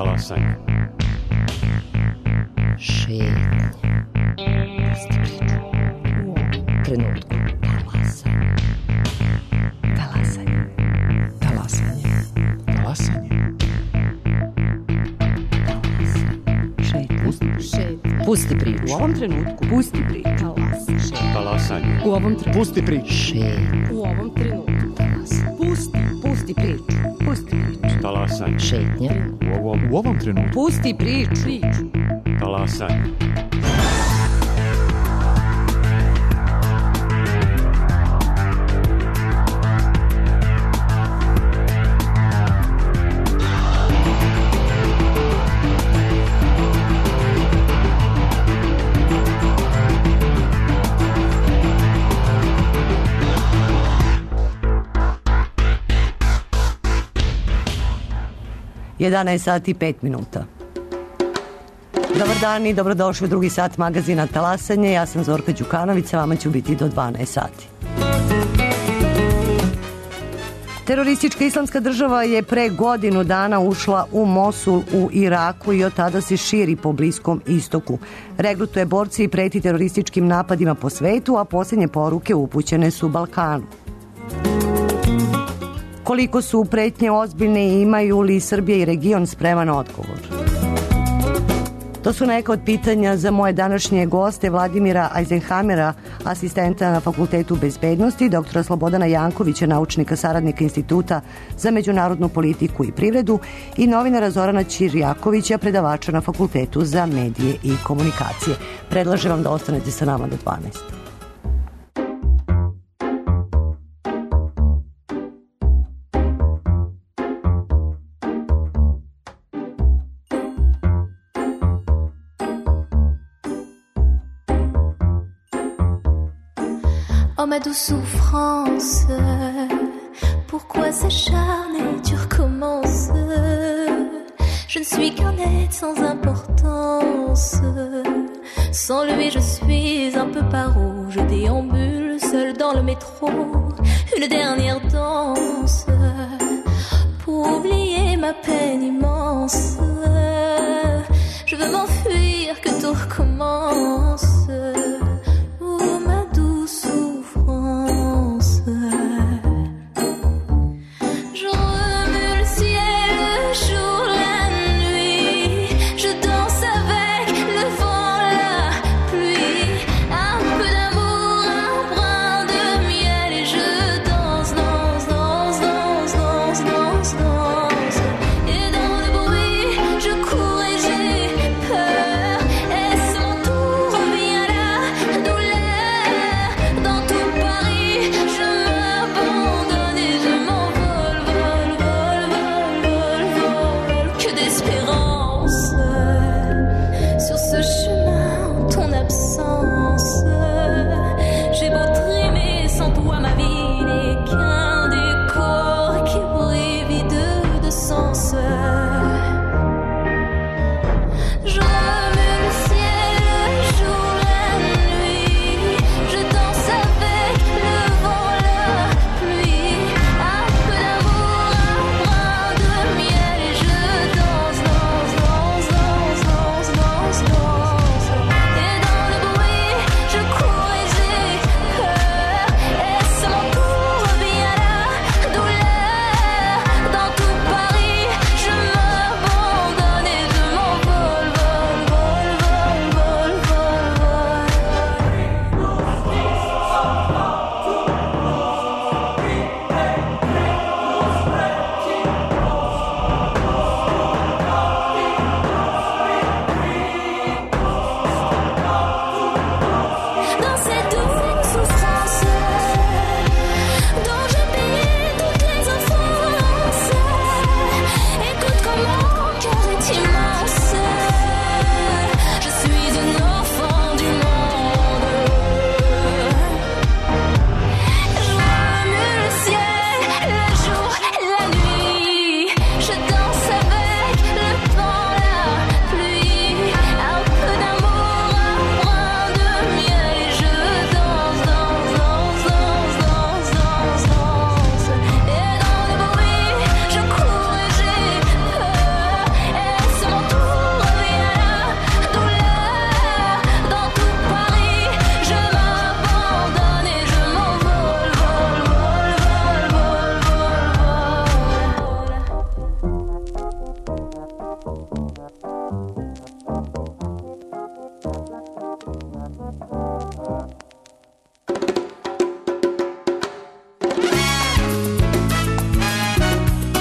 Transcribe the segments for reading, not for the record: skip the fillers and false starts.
Talasanje. Šetnje. Pusti priču. U ovom trenutku. Talasanje. Talasanje. Talasanje. Talasanje. Šetnje. Pusti priču. U ovom trenutku. Pusti priču. Talasanje. U ovom trenutku. Pusti priču. Šetnje. U ovom trenutku. Pusti priču. Pusti priču. Talasanje. Šetnje. U ovom trenutku. Pusti priču. Talasanje. Sat i 5 minuta. Dobar dan i dobrodošli u drugi sat magazina Talasanje. Ja sam Zorka Đukanović, sa vama ću biti do 12 sati. Teroristička islamska država je pre godinu dana ušla u Mosul u Iraku i od tada se širi po Bliskom istoku. Regrutuje borci i preti terorističkim napadima po svetu, a posljednje poruke upućene su Balkanu. Koliko su pretnje ozbiljne i imaju li Srbija i region spreman odgovor? To su neka od pitanja za moje današnje goste, Vladimira Eisenhamera, asistenta na Fakultetu bezbednosti, doktora Slobodana Jankovića, naučnika saradnika Instituta za međunarodnu politiku i privredu i novinara Zorana Ćirjakovića, predavača na Fakultetu za medije i komunikacije. Predlažem vam da ostanete sa nama do 12. Oh ma douce souffrance, pourquoi s'acharner, tu recommences. Je ne suis qu'un être sans importance. Sans lui je suis un peu paro. Je déambule seul dans le métro. Une dernière danse pour oublier ma peine immense. Je veux m'enfuir, que tout recommence. Viens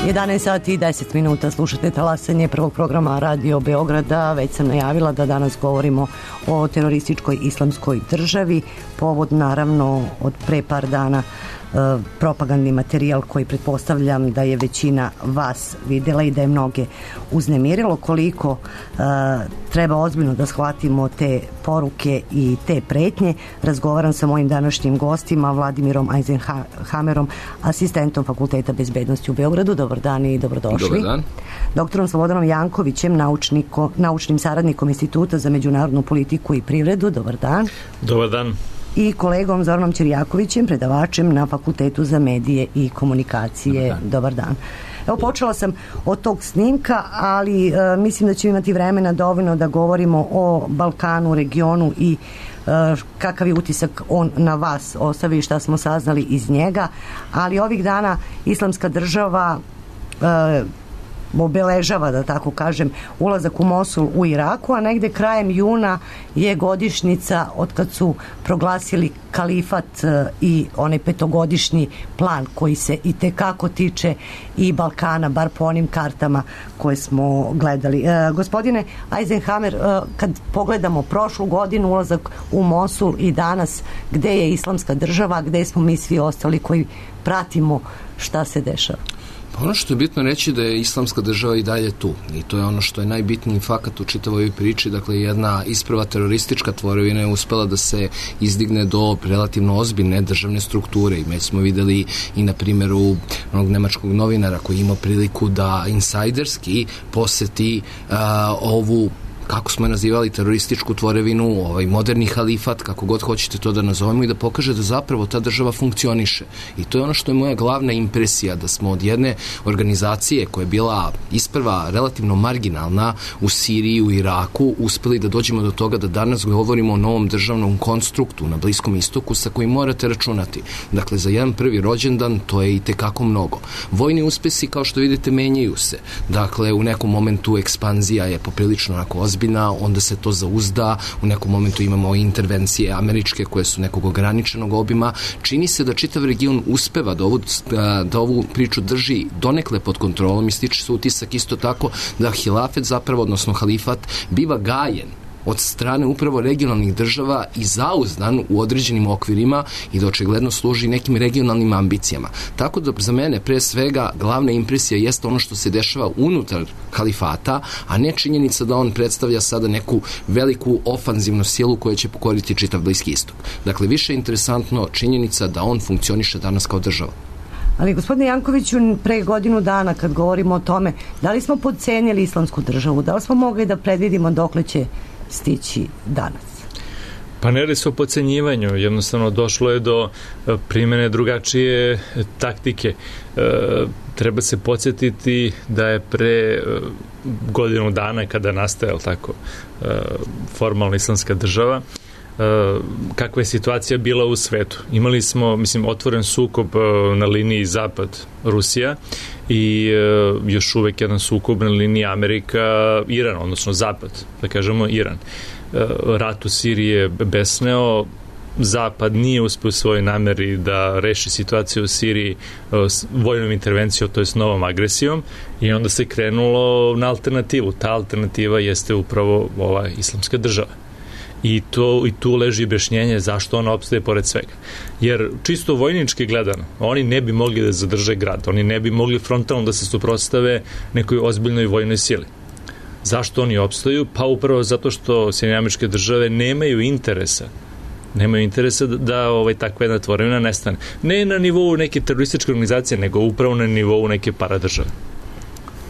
11 sati i 10 minuta slušate talasanje prvog programa Radio Beograda. Već sam najavila da danas govorimo o terorističkoj islamskoj državi. Povod naravno od pre par dana propagandni materijal koji pretpostavljam da je većina vas videla i da je mnoge uznemirilo. Koliko treba ozbiljno da shvatimo te poruke i te pretnje, razgovaram sa mojim današnjim gostima, Vladimirom Eisenhamerom, asistentom Fakulteta bezbednosti u Beogradu. Dobar dan i dobrodošli. Dobar dan. Doktorom Slobodanom Jankovićem, naučnim saradnikom Instituta za međunarodnu politiku i privredu. Dobar dan. Dobar dan. I kolegom Zoranom Ćirjakovićem, predavačem na Fakultetu za medije i komunikacije. Dobar dan. Evo, počela sam od tog snimka, ali mislim da ćemo imati vremena dovoljno da govorimo o Balkanu, regionu i kakav je utisak on na vas ostavi i šta smo saznali iz njega. Ali ovih dana Islamska država obeležava, da tako kažem, ulazak u Mosul u Iraku, a negde krajem juna je godišnjica od kad su proglasili kalifat i onaj petogodišnji plan koji se i tekako tiče i Balkana, bar po onim kartama koje smo gledali. Gospodine Eisenhamer, kad pogledamo prošlu godinu, ulazak u Mosul i danas, gde je Islamska država, gde smo mi svi ostali koji pratimo šta se dešava? Ono što je bitno reći da je Islamska država i dalje tu i to je ono što je najbitniji fakat u čitavoj ovoj priči. Dakle, jedna isprva teroristička tvorevina je uspela da se izdigne do relativno ozbiljne državne strukture i već smo videli i na primjeru onog nemačkog novinara koji ima priliku da insajderski poseti ovu, kako smo je nazivali, terorističku tvorevinu, ovaj moderni halifat, kako god hoćete to da nazovemo, i da pokaže da zapravo ta država funkcioniše. I to je ono što je moja glavna impresija, da smo od jedne organizacije koja je bila isprva relativno marginalna u Siriji, u Iraku, uspeli da dođemo do toga da danas govorimo o novom državnom konstruktu na Bliskom istoku sa kojim morate računati. Dakle, za jedan prvi rođendan to je i tekako mnogo. Vojni uspesi, kao što vidite, menjaju se. Dakle, u nekom momentu ekspanzija je poprilično onako ozbiljna, onda se to zauzda, u nekom momentu imamo intervencije američke koje su nekog ograničenog obima. Čini se da čitav region uspeva da ovu priču drži donekle pod kontrolom i stiče se utisak isto tako da hilafet zapravo, odnosno halifat, biva gajen od strane upravo regionalnih država i zauzdan u određenim okvirima i da očigledno služi nekim regionalnim ambicijama. Tako da za mene pre svega glavna impresija jeste ono što se dešava unutar halifata, a ne činjenica da on predstavlja sada neku veliku ofanzivnu silu koja će pokoriti čitav Bliski istok. Dakle, više je interesantno činjenica da on funkcioniše danas kao država. Ali, gospodine Jankoviću, pre godinu dana kad govorimo o tome, da li smo podcenili Islamsku državu, da li smo mogli da predvidimo dokle će stići danas? Pa ne radi se o podcenjivanju, jednostavno došlo je do primene drugačije taktike. Treba se podsjetiti da je pre godinu dana kada nastaje tako formalna Islamska država, kakva je situacija bila u svetu. Imali smo, otvoren sukob na liniji Zapad-Rusija i još uvek jedan sukob na liniji Amerika-Iran, odnosno Zapad, da kažemo Iran. Rat u Siriji je besneo, Zapad nije uspeo u svojoj nameri da reši situaciju u Siriji vojnom intervencijom, to jest novom agresijom, i onda se krenulo na alternativu. Ta alternativa jeste upravo ova Islamska država. I tu leži objašnjenje zašto ona opstaje pored svega. Jer čisto vojnički gledano, oni ne bi mogli da zadrže grad, oni ne bi mogli frontalno da se suprotstave nekoj ozbiljnoj vojnoj sili. Zašto oni opstaju? Pa upravo zato što Sjedinjene Američke Države nemaju interesa da takva jedna tvorevina nestane. Ne na nivou neke terorističke organizacije, nego upravo na nivou neke paradržave.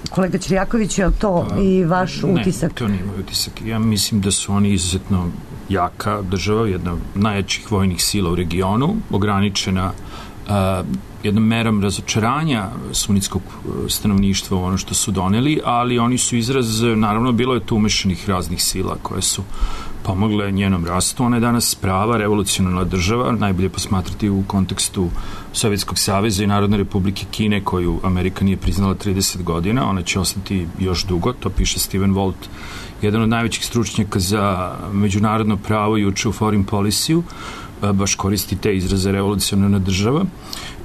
Kolega Ćirjaković, je li to i vaš utisak? Ne, to nije moj utisak. Ja mislim da su oni izuzetno jaka država, jedna od najjačih vojnih sila u regionu, ograničena jednom merom razočaranja sunnitskog stanovništva u ono što su doneli, ali oni su izraz, naravno, bilo je tu umešanih raznih sila koje su pomogle njenom rastu. Ona je danas prava revolucionarna država, najbolje posmatrati u kontekstu Sovjetskog saveza i Narodne republike Kine, koju Amerika nije priznala 30 godina. Ona će ostati još dugo, to piše Steven Walt, jedan od najvećih stručnjaka za međunarodno pravo juče u Foreign Policy-u, baš koristi te izraze revolucionarna država.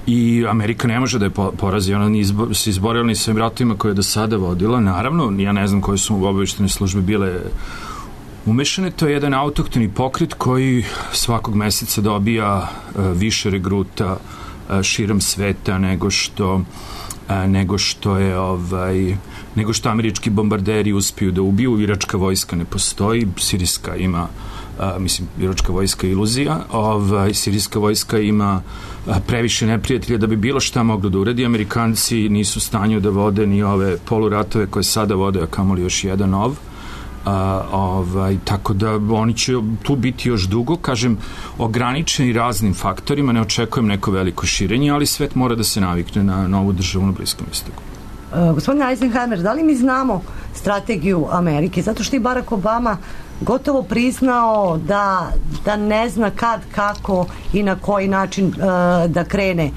i Amerika ne može da je porazi, ona se izborila ni svojim ratovima koje je do sada vodila. Naravno, ja ne znam koje su obavještajne službe bile umešane, to je jedan autohtoni pokret koji svakog meseca dobija više regruta širom sveta nego što američki bombarderi uspiju da ubiju. Iračka vojska ne postoji, sirijska ima iračka vojska je iluzija, sirijska vojska ima previše neprijatelja da bi bilo šta moglo da uradi. Amerikanci nisu u stanju da vode ni ove poluratove koje sada vode, a kamoli još jedan nov. Tako da oni će tu biti još dugo, kažem, ograničeni raznim faktorima, ne očekujem neko veliko širenje, ali svet mora da se navikne na novu državu na Bliskom istoku. Gospodine Eisenhower, da li mi znamo strategiju Amerike? Zato što je Barack Obama gotovo priznao da ne zna kad, kako i na koji način da krene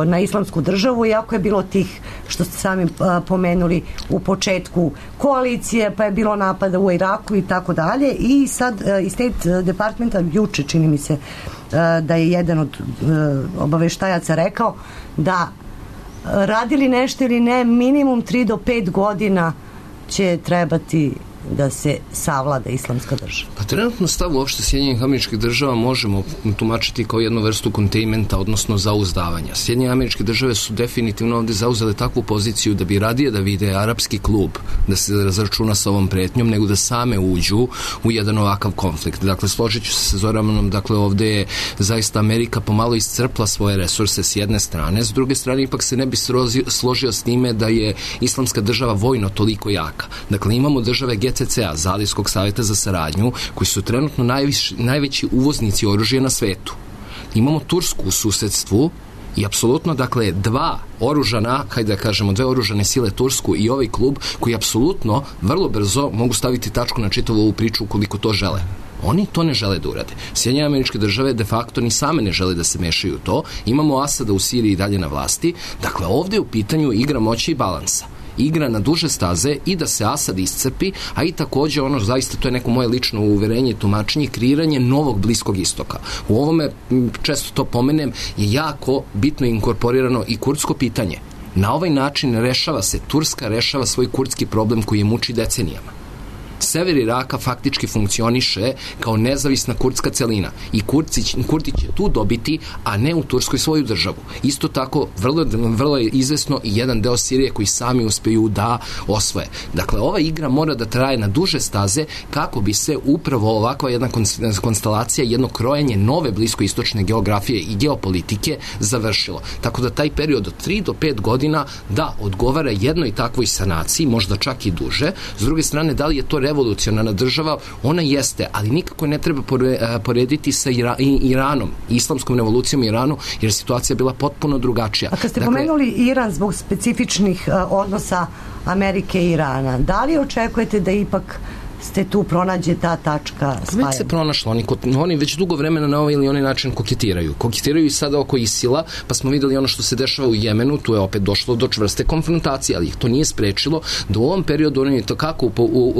na islamsku državu, iako je bilo tih, što ste sami pomenuli u početku, koalicije, pa je bilo napada u Iraku i tako dalje, i sad iz State Departmenta juče, čini mi se, da je jedan od obaveštajaca rekao da radili nešto ili ne, minimum 3 do 5 godina će trebati da se savlada islamska država. Pa trenutno stav uopšte Sjedinjenih Američkih Država možemo tumačiti kao jednu vrstu kontajmenta, odnosno zauzdavanja. Sjedinjene Američke Države su definitivno ovde zauzele takvu poziciju da bi radije da vide arapski klub da se razračuna sa ovom pretnjom, nego da same uđu u jedan ovakav konflikt. Dakle, složit ću se sa Zoranom, dakle, ovde je zaista Amerika pomalo iscrpla svoje resurse s jedne strane, s druge strane ipak se ne bi složio s time da je islamska država vojno toliko jaka. Dakle, imamo države GCC-a, Zalivskog savjeta za saradnju, koji su trenutno najveći uvoznici oružja na svetu. Imamo Tursku u susedstvu i apsolutno, dakle, dve oružane sile, Tursku i ovaj klub, koji apsolutno vrlo brzo mogu staviti tačku na čitavu ovu priču ukoliko to žele. Oni to ne žele da urade. Sjedinjene Američke Države de facto ni same ne žele da se mešaju u to. Imamo Asada u Siriji dalje na vlasti. Dakle, ovde je u pitanju igra moći i balansa. Igra na duže staze i da se Asad iscrpi, a i takođe ono, zaista to je neko moje lično uverenje i tumačenje, kreiranje novog Bliskog istoka. U ovome, često to pomenem, je jako bitno inkorporirano i kurdsko pitanje. Na ovaj način Turska rešava svoj kurdski problem koji je muči decenijama. Sever Iraka faktički funkcioniše kao nezavisna kurdska celina i Kurdi će tu dobiti, a ne u Turskoj svoju državu. Isto tako, vrlo je izvesno i jedan deo Sirije koji sami uspeju da osvoje. Dakle, ova igra mora da traje na duže staze kako bi se upravo ovakva jedna konstelacija, jedno krojenje nove bliskoistočne geografije i geopolitike završilo. Tako da taj period od 3 do 5 godina da odgovara jednoj takvoj sanaciji, možda čak i duže. S druge strane, da li je to revolucionarna država? Ona jeste, ali nikako ne treba porediti sa Iranom, islamskom revolucijom Iranu, jer situacija je bila potpuno drugačija. A kad ste pomenuli Iran zbog specifičnih odnosa Amerike i Irana, da li očekujete da ipak ste tu pronađe ta tačka spajanja? Već se pronašlo. Oni već dugo vremena na ovaj ili onaj način koketiraju. Koketiraju i sada oko ISIL-a, pa smo videli ono što se dešava u Jemenu, tu je opet došlo do čvrste konfrontacije, ali ih to nije sprečilo da u ovom periodu oni to kako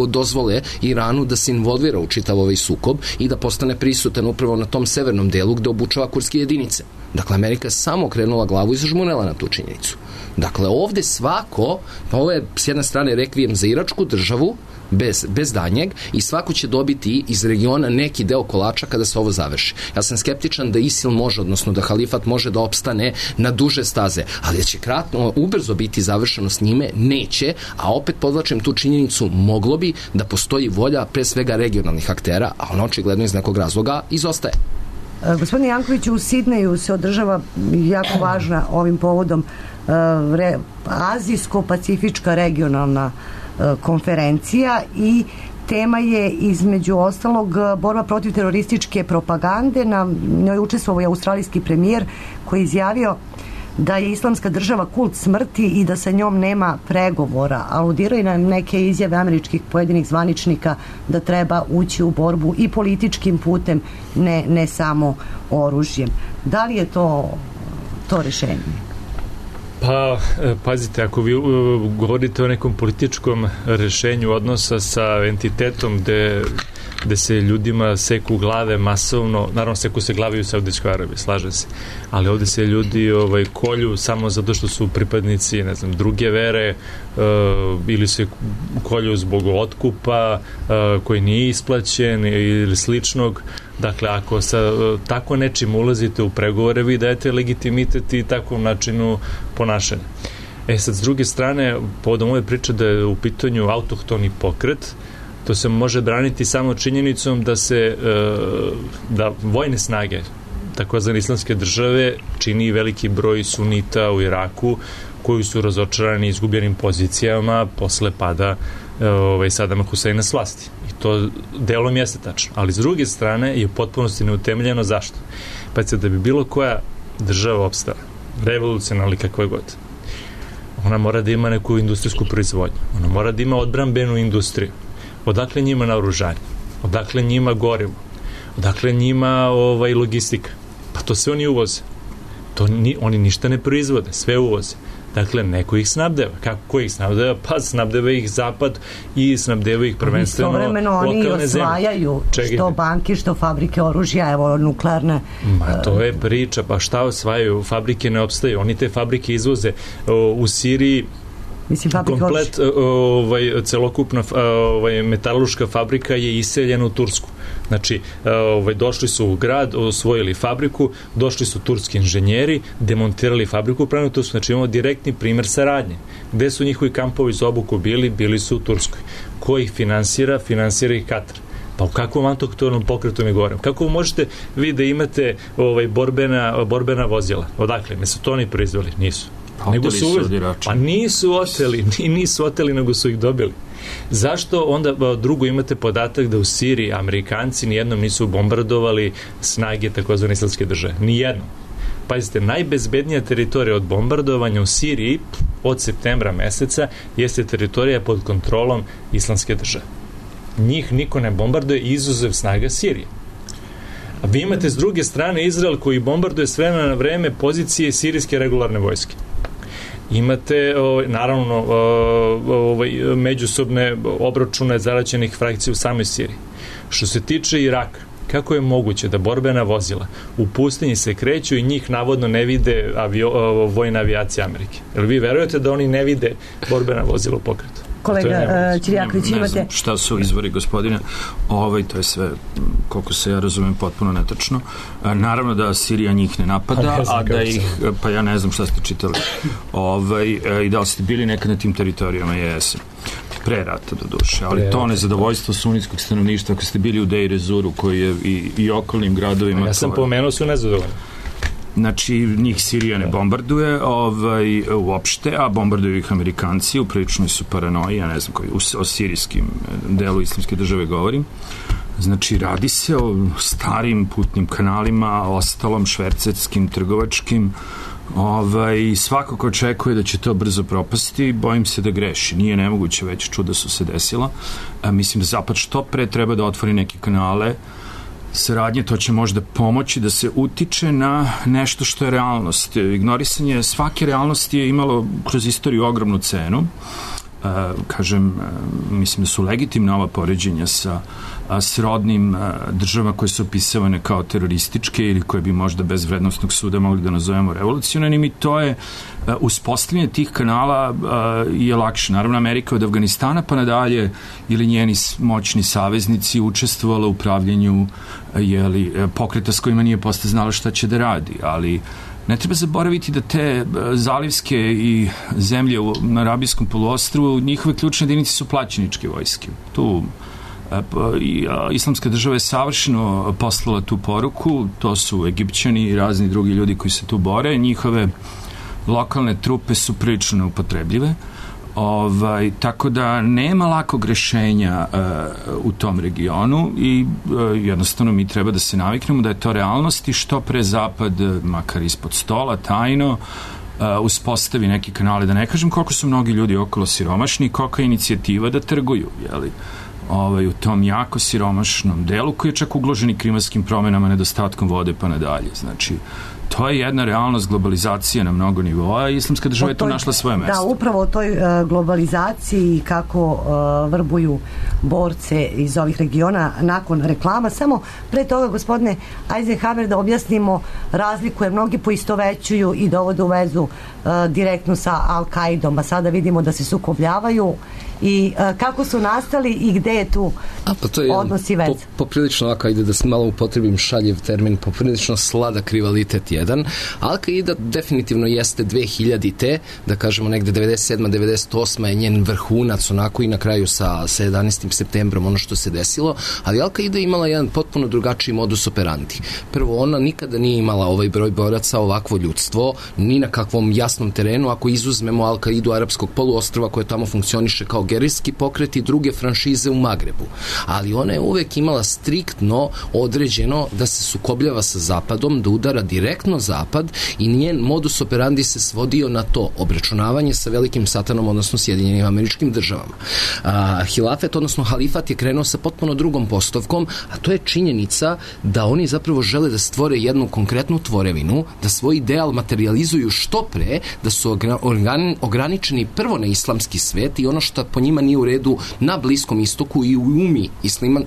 dozvole Iranu da se involvira u čitav ovaj sukob i da postane prisutan upravo na tom severnom delu gde obučava kurdske jedinice. Dakle, Amerika je samo okrenula glavu i zažmurela na tu činjenicu. Dakle, ovde svako, pa ovo je s jedne strane rekvijem za iračku državu, bez danjeg, i svako će dobiti iz regiona neki deo kolača kada se ovo završi. Ja sam skeptičan da ISIL može, odnosno da halifat može da opstane na duže staze, ali će ubrzo biti završeno s njime, neće, a opet podvlačim tu činjenicu, moglo bi da postoji volja pre svega regionalnih aktera, a ono očigledno iz nekog razloga izostaje. Gospodine Jankoviću, u Sidneju se održava jako važna ovim povodom azijsko-pacifička regionalna konferencija i tema je između ostalog borba protiv terorističke propagande. Na njoj učestvovao je australijski premijer koji je izjavio da je islamska država kult smrti i da sa njom nema pregovora. Aludirao i na neke izjave američkih pojedinih zvaničnika da treba ući u borbu i političkim putem, ne samo oružjem. Da li je to rešenje? Pa, pazite, ako vi govorite o nekom političkom rešenju odnosa sa entitetom gde gde se ljudima seku glave masovno, naravno seku se glave u Saudijskoj Arabiji, slažem se, ali ovde se ljudi kolju samo zato što su pripadnici, ne znam, druge vere, ili se kolju zbog otkupa koji nije isplaćen ili sličnog. Dakle, ako sa tako nečim ulazite u pregovore, vi dajete legitimitet i takvom načinu ponašanja. Sad, s druge strane, povodom ove priče da je u pitanju autohtoni pokret, to se može braniti samo činjenicom da vojne snage takozvane islamske države čini veliki broj sunita u Iraku koji su razočarani izgubljenim pozicijama posle pada Sadama Huseina s vlasti. I to delom jeste tačno. Ali s druge strane je u potpunosti neutemeljeno. Zašto? Pa da bi bilo koja država opstala, revolucionalna kakva god, ona mora da ima neku industrijsku proizvodnju. Ona mora da ima odbrambenu industriju. Odakle njima naoružanje? Odakle njima gorivo? Odakle njima logistika? Pa to sve oni uvoze. Oni ništa ne proizvode, sve uvoze. Dakle, neko ih snabdeva. Ko ih snabdeva? Pa snabdeva ih Zapad i snabdeva ih prvenstveno lokalne zemlje. Istovremeno oni osvajaju što banki, što fabrike oružja, evo nuklearne. To je priča, pa šta osvajaju? Fabrike ne opstaju. Oni te fabrike izvoze u Siriji. Komplet celokupna metalurška fabrika je iseljena u Tursku. Znači, došli su u grad, osvojili fabriku, došli su turski inženjeri, demontirali fabriku, pravno to su, znači imamo direktni primer saradnje. Gde su njihovi kampovi za obuku bili? Bili su u Turskoj. Ko ih finansira? Finansira ih Katar. Pa u kakvom autohtonom pokretu mi govorim? Kako možete vi da imate borbena vozila? Odakle? Ne su to oni proizveli? Nisu. Nego su pa nisu oteli, nego su ih dobili. Zašto onda drugo imate podatak da u Siriji Amerikanci nijednom nisu bombardovali snage takozvane islamske države? Nijednom. Pazite, najbezbednija teritorija od bombardovanja u Siriji od septembra meseca jeste teritorija pod kontrolom islamske države. Njih niko ne bombarduje izuzev snaga Sirije. A vi imate s druge strane Izrael koji bombarduje s vremena na vreme pozicije sirijske regularne vojske. Imate, naravno, međusobne obračune zaraćenih frakcija u samoj Siriji. Što se tiče Iraka, kako je moguće da borbena vozila u pustinji se kreću i njih navodno ne vide vojna avijacija Amerike? Jel vi verujete da oni ne vide borbena vozila u pokretu? Kolega Ćirjaković, imate... Ne znam šta su izvori, gospodine. To je sve, koliko se ja razumem, potpuno netačno. Naravno da Sirija njih ne napada, a da ih... Pa ja ne znam šta ste čitali. I da li ste bili nekad na tim teritorijama? Jesam. Pre rata, do duše. Ali to nezadovoljstvo sunnitskog stanovništva, ako ste bili u Deir ez-Zoru, koji je i okolnim gradovima... Ja sam pomenuo su nezadovoljni. Znači, njih Sirija ne bombarduje uopšte, a bombarduju ih Amerikanci, u priličnoj su paranoji, ja ne znam koji, o sirijskim delu islamske države govorim. Znači, radi se o starim putnim kanalima, ostalom švercerskim, trgovačkim, svako ko očekuje da će to brzo propasti, bojim se da greši. Nije nemoguće, već čuda su se desila. Mislim da Zapad što pre treba da otvori neke kanale saradnje, to će možda pomoći da se utiče na nešto što je realnost. Ignorisanje svake realnosti je imalo kroz istoriju ogromnu cenu. Kažem, mislim da su legitimna ova poređenja sa srodnim državama koje su opisavane kao terorističke ili koje bi možda bez vrednostnog suda mogli da nazovemo revolucionarnim, i to je uspostavljanje tih kanala je lakše. Naravno, Amerika od Afganistana pa nadalje ili njeni moćni saveznici učestvovala u upravljanju pokreta s kojima nije posle znala šta će da radi, ali ne treba zaboraviti da te zalivske i zemlje na Arabijskom poluostrvu, njihove ključne jedinice su plaćeničke vojske. Tu islamska država je savršeno poslala tu poruku, to su Egipćani i razni drugi ljudi koji se tu bore, njihove lokalne trupe su prilično neupotrebljive, tako da nema lakog rešenja u tom regionu i jednostavno mi treba da se naviknemo da je to realnost i što pre Zapad, makar ispod stola, tajno, uspostavi neke kanale, da ne kažem koliko su mnogi ljudi okolo siromašni i kolika je inicijativa da trguju, u tom jako siromašnom delu koji je čak ugložen i klimatskim promenama, nedostatkom vode pa nadalje. Znači, To je jedna realnost globalizacije na mnogo nivoa i islamska država je tu našla svoje mesto. Da, upravo o toj globalizaciji i kako vrbuju borce iz ovih regiona nakon reklama. Samo pre toga, gospodine Eisenhammer, da objasnimo razliku, jer mnogi poistovećuju i dovode u vezu direktno sa Al-Kaidom, a sada vidimo da se sukobljavaju i kako su nastali i gde je tu odnos i vez. Poprilično, ako ide da malo upotrebim šaljiv termin, poprilično sladak rivalitet jedan. Al-Qaida definitivno jeste 2000-te, da kažemo negde 97. 98. je njen vrhunac onako i na kraju sa 11. septembrom ono što se desilo, ali Al-Qaida je imala jedan potpuno drugačiji modus operandi. Prvo, ona nikada nije imala ovaj broj boraca, ovakvo ljudstvo, ni na kakvom jasnom terenu, ako izuzmemo Al-Qaidu arapskog poluostrva koje tamo funkcioniše kao gerilski pokret i druge franšize u Magrebu. Ali ona je uvek imala striktno određeno da se sukobljava sa Zapadom, da udara direktno Zapad i njen modus operandi se svodio na to obračunavanje sa velikim satanom, odnosno Sjedinjenim Američkim Državama. Hilafet, odnosno halifat je krenuo sa potpuno drugom postavkom, a to je činjenica da oni zapravo žele da stvore jednu konkretnu tvorevinu, da svoj ideal materializuju što pre, da su ograničeni prvo na islamski svet i ono što po njima nije u redu na Bliskom istoku i u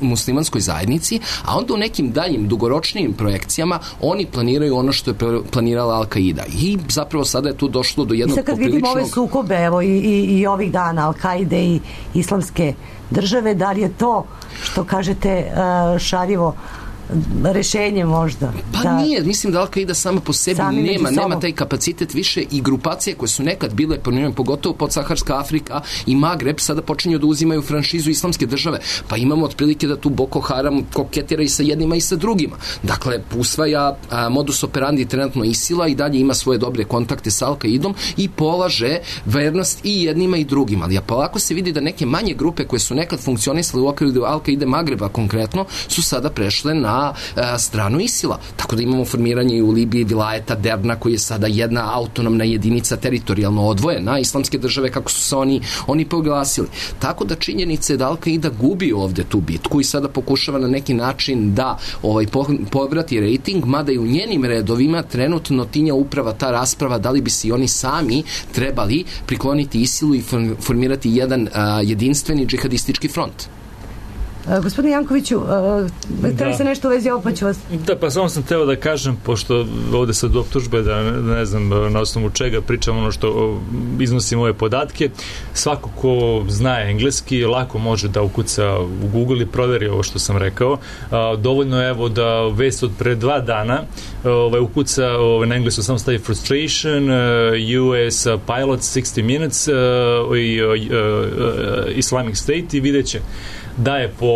muslimanskoj zajednici, a onda u nekim daljim dugoročnijim projekcijama oni planiraju ono što je planirala Al-Qaida. I zapravo sada je tu došlo do jednog popriličnog... I sad kad vidimo ove sukobe, evo i ovih dana Al-Qaide i islamske države, da li je to, što kažete, šaljivo rešenje možda? Pa nije, mislim da Al-Qaida sama po sebi nema taj kapacitet više i grupacije koje su nekad bile, pogotovo podsaharska Afrika i Magreb, sada počinju da uzimaju franšizu islamske države. Pa imamo otprilike da tu Boko Haram koketira i sa jednima i sa drugima. Dakle, usvaja modus operandi trenutno ISIL-a i dalje ima svoje dobre kontakte sa Al-Qaidom i polaže vernost i jednima i drugima. Ali polako se vidi da neke manje grupe koje su nekad funkcionisale u okviru Al-Qaide Magreba konkretno, su sada prešle na stranu ISIL-a. Tako da imamo formiranje i u Libiji vilajeta Derna koji je sada jedna autonomna jedinica teritorijalno odvojena islamske države kako su se oni proglasili. Tako da činjenica je da Al-Qaida gubi ovde tu bitku i sada pokušava na neki način da povrati rejting, mada i u njenim redovima trenutno tinja uprava ta rasprava da li bi se oni sami trebali prikloniti ISIL-u i formirati jedan jedinstveni džihadistički front. Gospodine Jankoviću, treba se nešto u vezi ovo, pa ću vas... Da, pa samo sam teo da kažem, pošto ovde sad optužbe da ne znam na osnovu čega pričam ono što iznosim ove podatke, svako ko zna engleski lako može da ukuca u Google i proveri ovo što sam rekao. Dovoljno je evo da vest od pre 2 dana ukuca na englesku samo stavi frustration, US pilots 60 minutes Islamic State i vidjet će da je po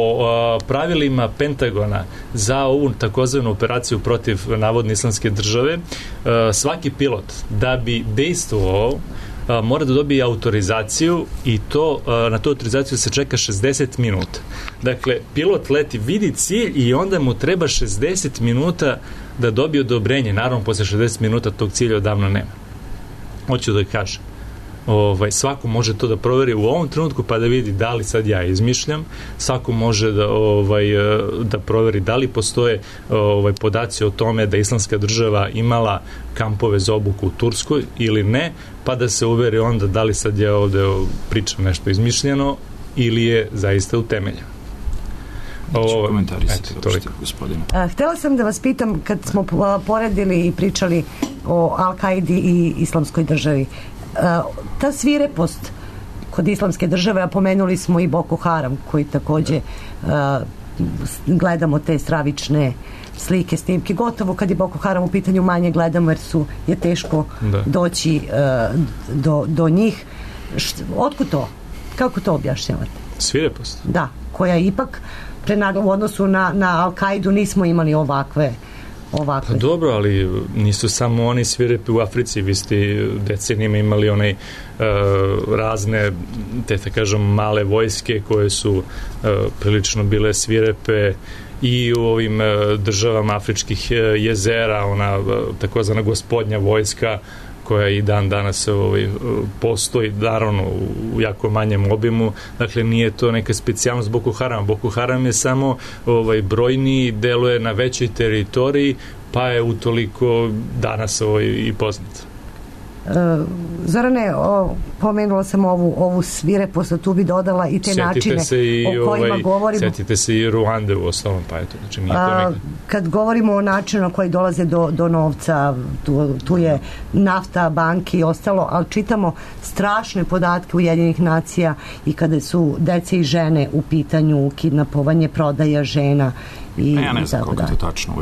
pravilima Pentagona za ovu takozvanu operaciju protiv navodne islamske države svaki pilot da bi dejstvovao mora da dobije autorizaciju i to na tu autorizaciju se čeka 60 minuta. Dakle, pilot leti, vidi cilj i onda mu treba 60 minuta da dobije odobrenje. Naravno, posle 60 minuta tog cilja odavno nema. Hoću da kažem. Svako može to da proveri u ovom trenutku pa da vidi da li sad ja izmišljam, svako može da proveri da li postoje podaci o tome da islamska država imala kampove za obuku u Turskoj ili ne, pa da se uveri onda da li sad ja ovde pričam nešto izmišljeno ili je zaista utemeljeno. Htela sam da vas pitam, kad smo poredili i pričali o Al-Qaidi i islamskoj državi, ta svirepost kod islamske države, a pomenuli smo i Boko Haram koji takođe gledamo te stravične slike, snimke, gotovo kad je Boko Haram u pitanju manje gledamo jer je teško doći do njih. Otkud to? Kako to objašnjavate? Svirepost? Da, koja ipak u odnosu na Al-Qaidu nismo imali ovakve. Pa dobro, ali nisu samo oni svirepi u Africi, vi ste decenijima imali razne, da kažem, male vojske koje su prilično bile svirepe i u ovim državama afričkih jezera, ona takozvana gospodnja vojska koja i dan danas postoji, naravno u jako manjem obimu, dakle nije to neka specijalnost Boko Haram. Boko Haram je samo brojniji, deluje na većoj teritoriji pa je utoliko danas i poznat. Zorane, pomenula sam ovu svirepost, tu bi dodala i te načine o kojima govorimo. Sjetite se i Ruande u osnovom, pa eto, znači nije to nekako. Kad govorimo o načinu na koji dolaze do novca, tu je nafta, banki i ostalo, ali čitamo strašne podatke Ujedinjenih nacija i kada su dece i žene u pitanju, kidnapovanje, prodaja žena i ja ne znam koliko je to tačno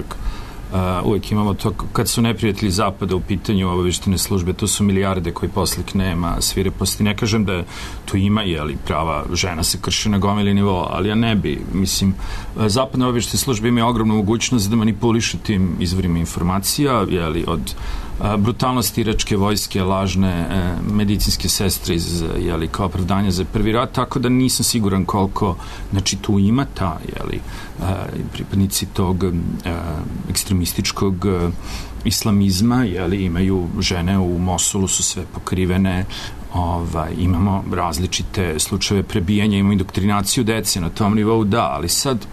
uvijek imamo to, kad su neprijatelji Zapada u pitanju obavještajne službe, to su milijarde koji poslik nema svireposti. Ne kažem da tu ima, jeli, prava žena se krše na gomili nivo, ali ja ne bi, mislim, zapadne obavještajne službe imaju ogromnu mogućnost da manipulišu tim izvorima informacija, jeli, od brutalnosti iračke vojske, lažne medicinske sestre iz, jeli, kao opravdanje za prvi rat, tako da nisam siguran koliko, znači tu ima ta, jeli, pripadnici tog ekstremističkog islamizma, jeli, imaju žene u Mosulu, su sve pokrivene, imamo različite slučajeve prebijanja, imamo indoktrinaciju dece na tom nivou, da, ali sad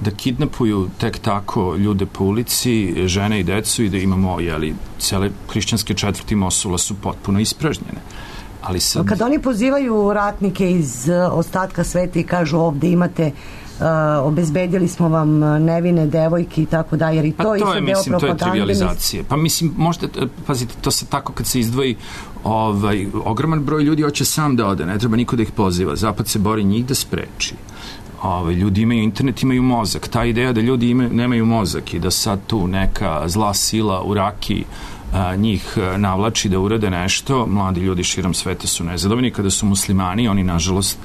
da kidnapuju tek tako ljude po ulici, žene i decu i da imamo, jeli, cele hrišćanske četvrti Mosula su potpuno ispražnjene. Ali sad... Kad oni pozivaju ratnike iz ostatka sveta i kažu ovde imate obezbedili smo vam nevine devojke i tako da, jer i to isto deo propagande. Mislim, to je trivializacija. Pa mislim, možda, pazite, to se tako kad se izdvoji ogroman broj ljudi hoće sam da ode, ne treba niko da ih poziva. Zapad se bori njih da spreči. Ljudi imaju internet, imaju mozak. Ta ideja da ljudi nemaju mozak i da sad tu neka zla sila u Rakiji njih navlači da urade nešto, mladi ljudi širom sveta su nezadovoljni. Kada su muslimani, oni nažalost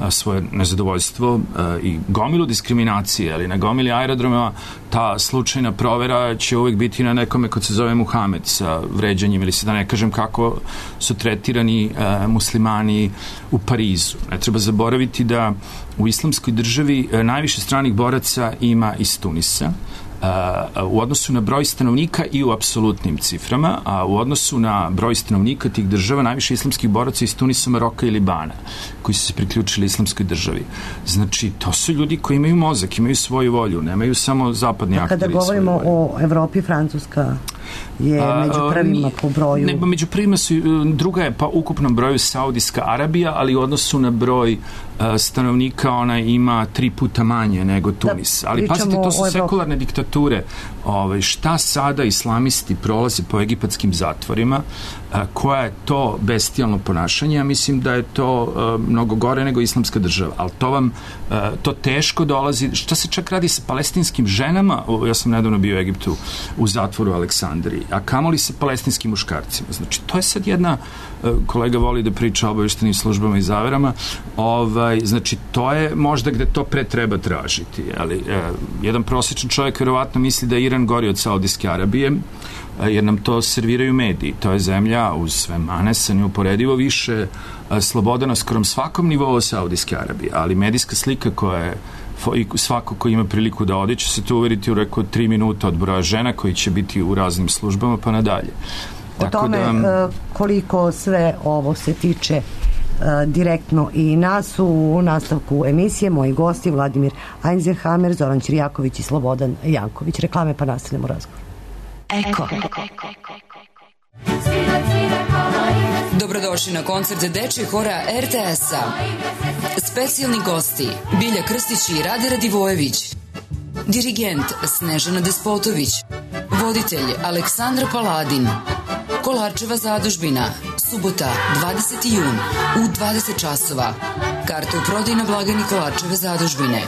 svoje nezadovoljstvo i gomilu diskriminacije, ali na gomili aerodroma ta slučajna provera će uvijek biti na nekome ko se zove Muhamed sa vređanjem, ili se da ne kažem kako su tretirani muslimani u Parizu. Ne treba zaboraviti da u islamskoj državi najviše stranih boraca ima iz Tunisa, u odnosu na broj stanovnika i u apsolutnim ciframa, a u odnosu na broj stanovnika tih država najviše islamskih boraca iz Tunisa, Maroka i Libana, koji su se priključili islamskoj državi. Znači, to su ljudi koji imaju mozak, imaju svoju volju, nemaju samo zapadni akteri. Kada govorimo o Evropi, Francuska je među prvima po broju. Ne, među prvima su, druga je pa ukupnom broju Saudijska Arabija, ali u odnosu na broj stanovnika ona ima 3 puta manje nego Tunis. Ali pazite, to su sekularne diktature. Šta sada islamisti prolaze po egipatskim zatvorima, koja je to bestijalno ponašanje? Ja mislim da je to mnogo gore nego islamska država. Ali to teško dolazi. Šta se čak radi sa palestinskim ženama? Ja sam nedavno bio u Egiptu u zatvoru u Aleksandriji. A kamoli sa palestinskim muškarcima? Znači, to je sad jedna, kolega voli da priča o obavještajnim službama i zaverama, znači, to je možda gde to pre treba tražiti. Ali, jedan prosječan čovjek verovatno misli da je Iran gori od Saudijske Arabije, jer nam to serviraju mediji. To je zemlja uz sve mane sa neuporedivo više sloboda na skorom svakom nivou Saudijske Arabije, ali medijska slika koja je svako ko ima priliku da ode će se to uveriti u reko 3 minuta od broja žena koji će biti u raznim službama pa nadalje. O tome koliko sve ovo se tiče direktno i nas u nastavku emisije moji gosti Vladimir Eisenhammer, Zoran Ćirjaković i Slobodan Janković. Reklame pa nastavljamo razgovor. Eko. Dobrodošli na koncert dečjeg hora RTS-a. Specijalni gosti Bilja Krstić i Rade Radivojević. Dirigent Snežana Despotović. Voditelj Aleksandra Paladin. Kolarčeva zadužbina. Subota, 20. jun u 20 časova. Karte u prodaju na blagajni Kolarčeve zadužbine.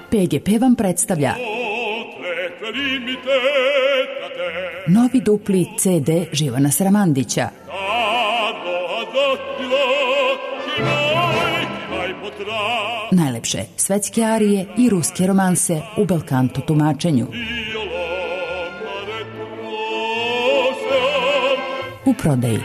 PGP vam predstavlja novi dupli CD Živana Sramandića. Najlepše svetske arije i ruske romanse u belkanto tumačenju. U prodaji.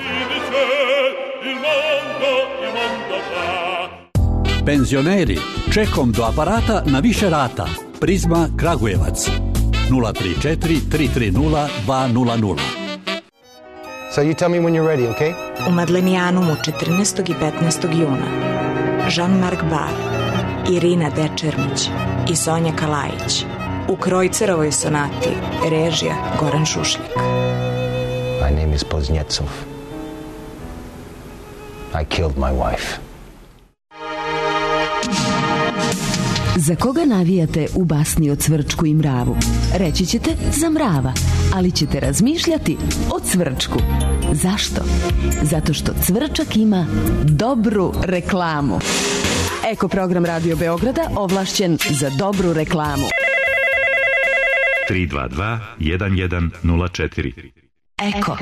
Penzioneri, čekom do aparata na više rata. Prizma Kragujevac. 034 330 200. So you tell me when you're ready, okay? U Madlenijanumu 14. i 15. juna Jean-Marc Bar, Irina Dečermić i Sonja Kalajić. U Krojcerovoj sonati režija Goran Šušljak. My name is Poznetsov. I killed my wife. Za koga navijate u basni o Cvrčku i mravu? Reći ćete za mrava, ali ćete razmišljati o Cvrčku. Zašto? Zato što Cvrčak ima dobru reklamu. Eko program Radio Beograda ovlašćen za dobru reklamu. 322 1104. Eko.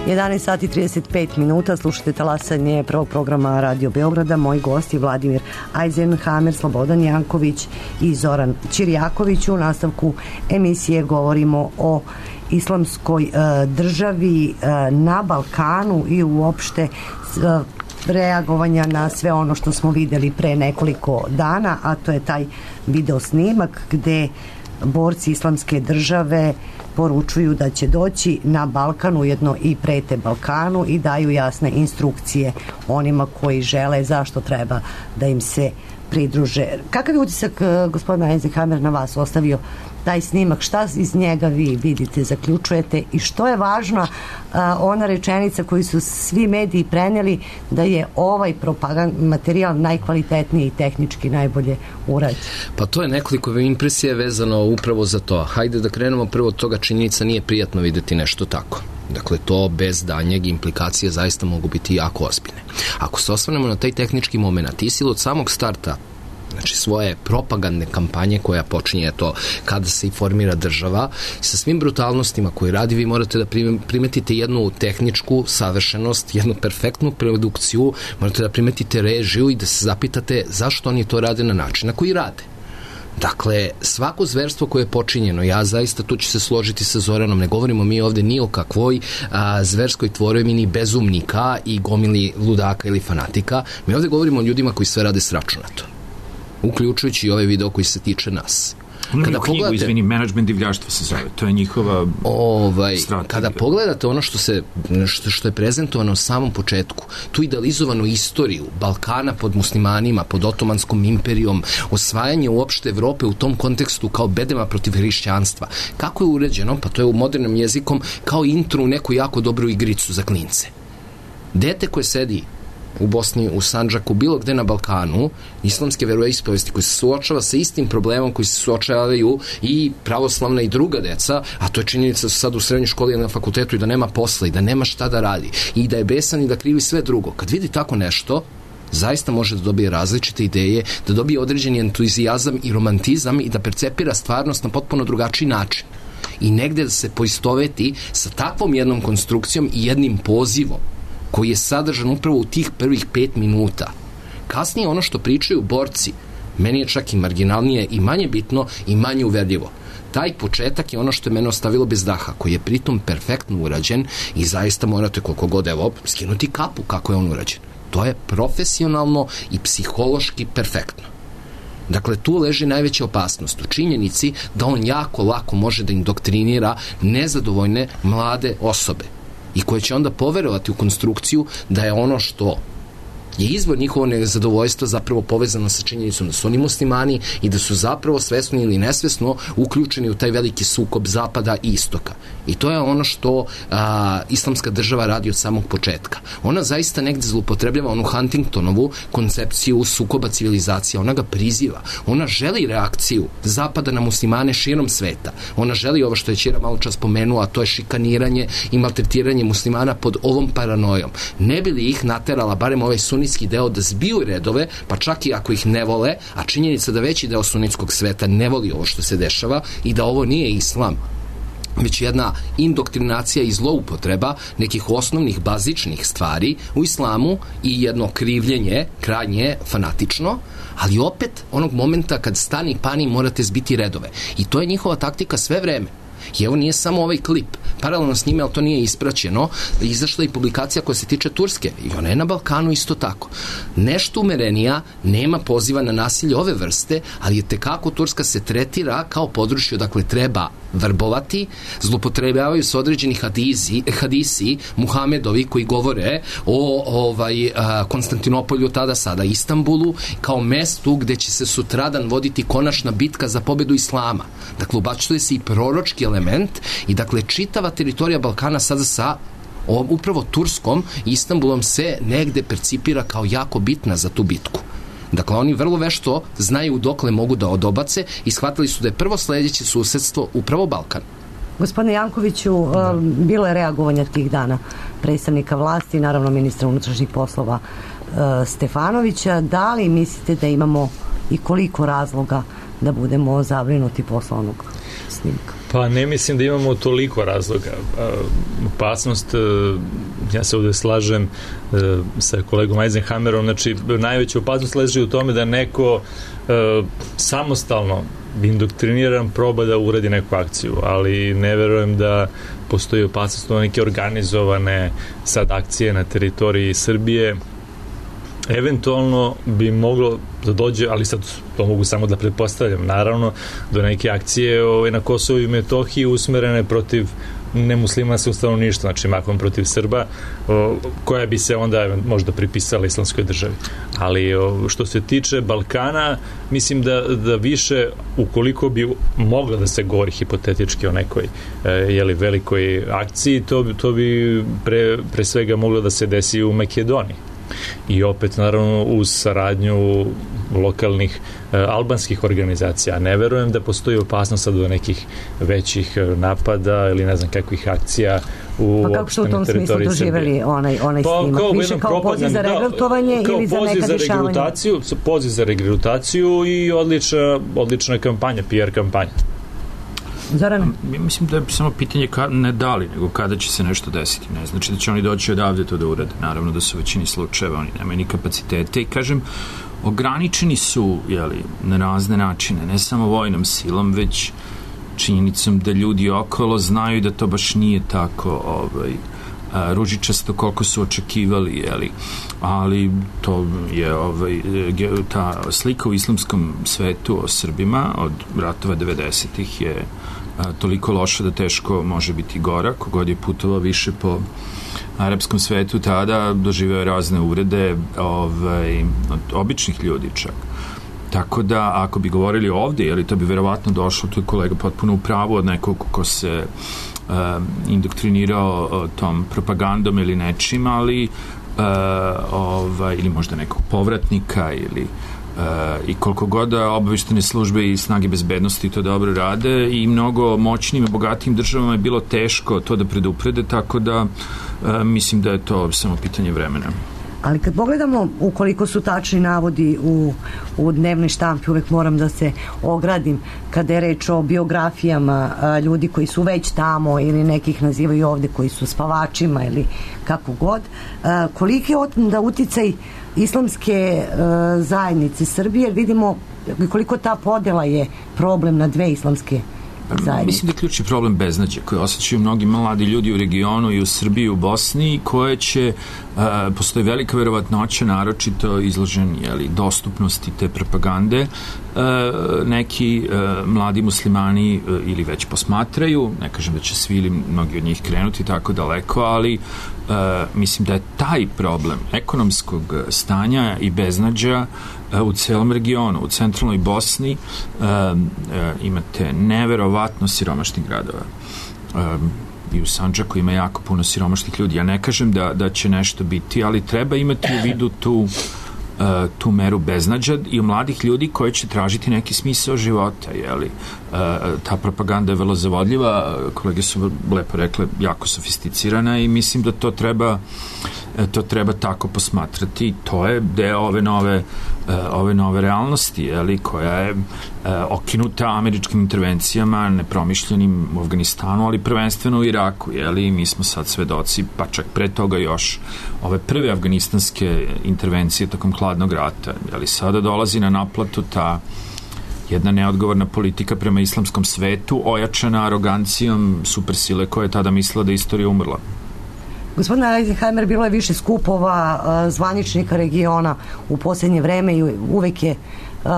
11 sati 35 minuta, slušate talasanje prvog programa Radio Beograda. Moji gosti Vladimir Eisenhammer, Slobodan Janković i Zoran Ćirjaković. U nastavku emisije govorimo o islamskoj državi na Balkanu i uopšte reagovanja na sve ono što smo videli pre nekoliko dana, a to je taj video snimak gde borci islamske države poručuju da će doći na Balkan, ujedno i prete Balkanu i daju jasne instrukcije onima koji žele zašto treba da im se pridruže. Kakav je utisak gospodina Eisenhammer na vas ostavio taj snimak? Šta iz njega vi vidite, zaključujete i što je važna ona rečenica koju su svi mediji preneli da je ovaj propagandni materijal najkvalitetniji i tehnički najbolje urađen? Pa to je nekoliko impresija vezano upravo za to. Hajde da krenemo prvo od toga, činjenica nije prijatno videti nešto tako. Dakle, to bez danjeg implikacije zaista mogu biti jako ozbiljne. Ako se osvrnemo na taj tehnički moment, ISIL od samog starta, znači svoje propagandne kampanje koja počinje to kada se i formira država, sa svim brutalnostima koje radi, vi morate da primetite jednu tehničku savršenost, jednu perfektnu produkciju, morate da primetite režiju i da se zapitate zašto oni to rade na način na koji rade. Dakle, svako zverstvo koje je počinjeno, ja zaista tu ću se složiti sa Zoranom, ne govorimo mi ovde ni o kakvoj zverskoj tvorevini bezumnika i gomili ludaka ili fanatika, mi ovde govorimo o ljudima koji sve rade sračunato, uključujući i ovaj video koji se tiče nas. Kada pogledate, izvini, management divljaštva se zove, to je njihova strategija. Kada pogledate ono što je prezentovano u samom početku, tu idealizovanu istoriju Balkana pod muslimanima, pod Otomanskom imperijom, osvajanje uopšte Evrope u tom kontekstu kao bedema protiv hrišćanstva, kako je uređeno, pa to je u modernom jezikom kao intro u neku jako dobru igricu za klince. Dete koje sedi u Bosni, u Sandžaku, bilo gde na Balkanu, islamske veroispovesti koji se suočava sa istim problemom koji se suočavaju i pravoslavna i druga deca, a to je činjenica da su sad u srednjoj školi ili na fakultetu i da nema posla i da nema šta da radi i da je besan i da krivi sve drugo. Kad vidi tako nešto, zaista može da dobije različite ideje, da dobije određeni entuzijazam i romantizam i da percepira stvarnost na potpuno drugačiji način. I negde da se poistoveti sa takvom jednom konstrukcijom i jednim pozivom koji je sadržan upravo u tih prvih 5 minuta. Kasnije ono što pričaju borci, meni je čak i marginalnije i manje bitno i manje uverljivo. Taj početak je ono što je mene ostavilo bez daha, koji je pritom perfektno urađen i zaista morate koliko god skinuti kapu kako je on urađen. To je profesionalno i psihološki perfektno. Dakle, tu leži najveća opasnost u činjenici da on jako lako može da indoktrinira nezadovoljne mlade osobe i koje će onda poverovati u konstrukciju da je ono što je izvor njihovog nezadovoljstva zapravo povezano sa činjenicom da su oni muslimani i da su zapravo svesno ili nesvesno uključeni u taj veliki sukob zapada i istoka. I to je ono što islamska država radi od samog početka. Ona zaista negde zloupotrebljava onu Huntingtonovu koncepciju sukoba civilizacija. Ona ga priziva. Ona želi reakciju zapada na muslimane širom sveta. Ona želi ovo što je Ćira malo čas spomenuo, a to je šikaniranje i maltretiranje muslimana pod ovom paranojom. Ne bi li ih naterala, barem ovaj sunitski deo, da zbiju redove, pa čak i ako ih ne vole, a činjenica da veći deo sunitskog sveta ne voli ovo što se dešava i da ovo nije islam, već jedna indoktrinacija i zloupotreba nekih osnovnih, bazičnih stvari u islamu i jedno krivljenje, krajnje fanatično, ali opet onog momenta kad stani pani morate zbiti redove. I to je njihova taktika sve vreme. I evo nije samo ovaj klip. Paralelno s njime, ali to nije ispraćeno, izašla i publikacija koja se tiče Turske. I ona je na Balkanu isto tako. Nešto umerenija, nema poziva na nasilje ove vrste, ali je tekako Turska se tretira kao područje, dakle treba vrbovati, zlupotrebljavaju se određeni hadisi Muhamedovi koji govore o Konstantinopolju, tada sada Istanbulu, kao mestu gde će se sutradan voditi konačna bitka za pobedu islama. Dakle, ubacuje se i proročki element i dakle čitava teritorija Balkana sada sa upravo Turskom i Istanbulom se negde percipira kao jako bitna za tu bitku. Dakle, oni vrlo vešto znaju dokle mogu da odobace i shvatili su da je prvo sledeće susedstvo upravo Balkan. Gospodine Jankoviću, bilo je reagovanja tih dana predstavnika vlasti, naravno ministra unutrašnjih poslova Stefanovića. Da li mislite da imamo i koliko razloga da budemo zabrinuti posle onog snimka? Pa ne mislim da imamo toliko razloga. Opasnost, ja se ovde slažem sa kolegom Eisenhammerom, znači najveća opasnost leži u tome da neko samostalno indoktriniran proba da uradi neku akciju, ali ne verujem da postoji opasnost od neke organizovane sad akcije na teritoriji Srbije. Eventualno bi moglo da dođe, ali sad to mogu samo da pretpostavljam, naravno, do neke akcije na Kosovu i Metohiji usmerene protiv nemuslimanskog stanovništva, znači mahom protiv Srba, koja bi se onda možda pripisala islamskoj državi. Ali što se tiče Balkana, mislim da više, ukoliko bi mogla da se govori hipotetički o nekoj velikoj akciji, to bi pre svega moglo da se desi u Makedoniji. I opet, naravno, uz saradnju lokalnih albanskih organizacija. Ne verujem da postoji opasnost sad do nekih većih napada ili ne znam kakvih akcija u pa kako ste u tom smislu doživjeli onaj snimak? Više kao poziv za regrutovanje ili za neka dešavanja? Poziv za regrutaciju i odlična kampanja, PR kampanja. Zoran? Ja mislim da je samo pitanje ne da li, nego kada će se nešto desiti. Ne znači da će oni doći odavde to da urade. Naravno da su u većini slučajeva, oni nemaju ni kapacitete i kažem, ograničeni su na razne načine, ne samo vojnom silom, već činjenicom da ljudi okolo znaju da to baš nije tako ružičasto koliko su očekivali, ali to je ta slika u islamskom svetu o Srbima od ratova 90-ih je toliko loša da teško može biti gora. Kogod je putovao više po arapskom svetu tada doživeo razne uvrede od običnih ljudi čak. Tako da, ako bi govorili ovde, to bi verovatno došlo, tu je kolega potpuno u pravu od nekog ko se indoktrinirao tom propagandom ili nečim, ali ili možda nekog povratnika i koliko god da obavještene službe i snage bezbednosti to dobro rade i mnogo moćnim i bogatijim državama je bilo teško to da preduprede, tako da mislim da je to samo pitanje vremena. Ali kad pogledamo ukoliko su tačni navodi u dnevnoj štampi, uvek moram da se ogradim kada je reč o biografijama ljudi koji su već tamo ili nekih nazivaju ovde koji su spavačima ili kako god, koliki je onda uticaj islamske zajednice Srbije, jer vidimo koliko ta podela je problem na dve islamske zajednice. Mislim da je ključni problem beznađe koje osjećaju mnogi mladi ljudi u regionu i u Srbiji i u Bosni, koje će postoji velika verovatnoća, naročito izložen dostupnosti te propagande, neki mladi muslimani ili već posmatraju, ne kažem da će svi ili mnogi od njih krenuti tako daleko, ali mislim da je taj problem ekonomskog stanja i beznađa u celom regionu, u centralnoj Bosni imate neverovatno siromašnih gradova. I u Sandžaku ima jako puno siromašnih ljudi. Ja ne kažem da će nešto biti, ali treba imati u vidu tu meru beznađa i u mladih ljudi koji će tražiti neki smisao života. Ta propaganda je vrlo zavodljiva, kolege su lepo rekle, jako sofisticirana i mislim da to treba tako posmatrati. To je deo ove nove realnosti, koja je okinuta američkim intervencijama, nepromišljenim u Afganistanu, ali prvenstveno u Iraku. Mi smo sad svedoci, pa čak pre toga još ove prve afganistanske intervencije tokom hladnog rata. Sada dolazi na naplatu jedna neodgovorna politika prema islamskom svetu, ojačana arogancijom supersile koja je tada mislila da je istorija umrla. Gospodine Eisenheimer, bilo je više skupova zvaničnika regiona u posljednje vreme i uvek je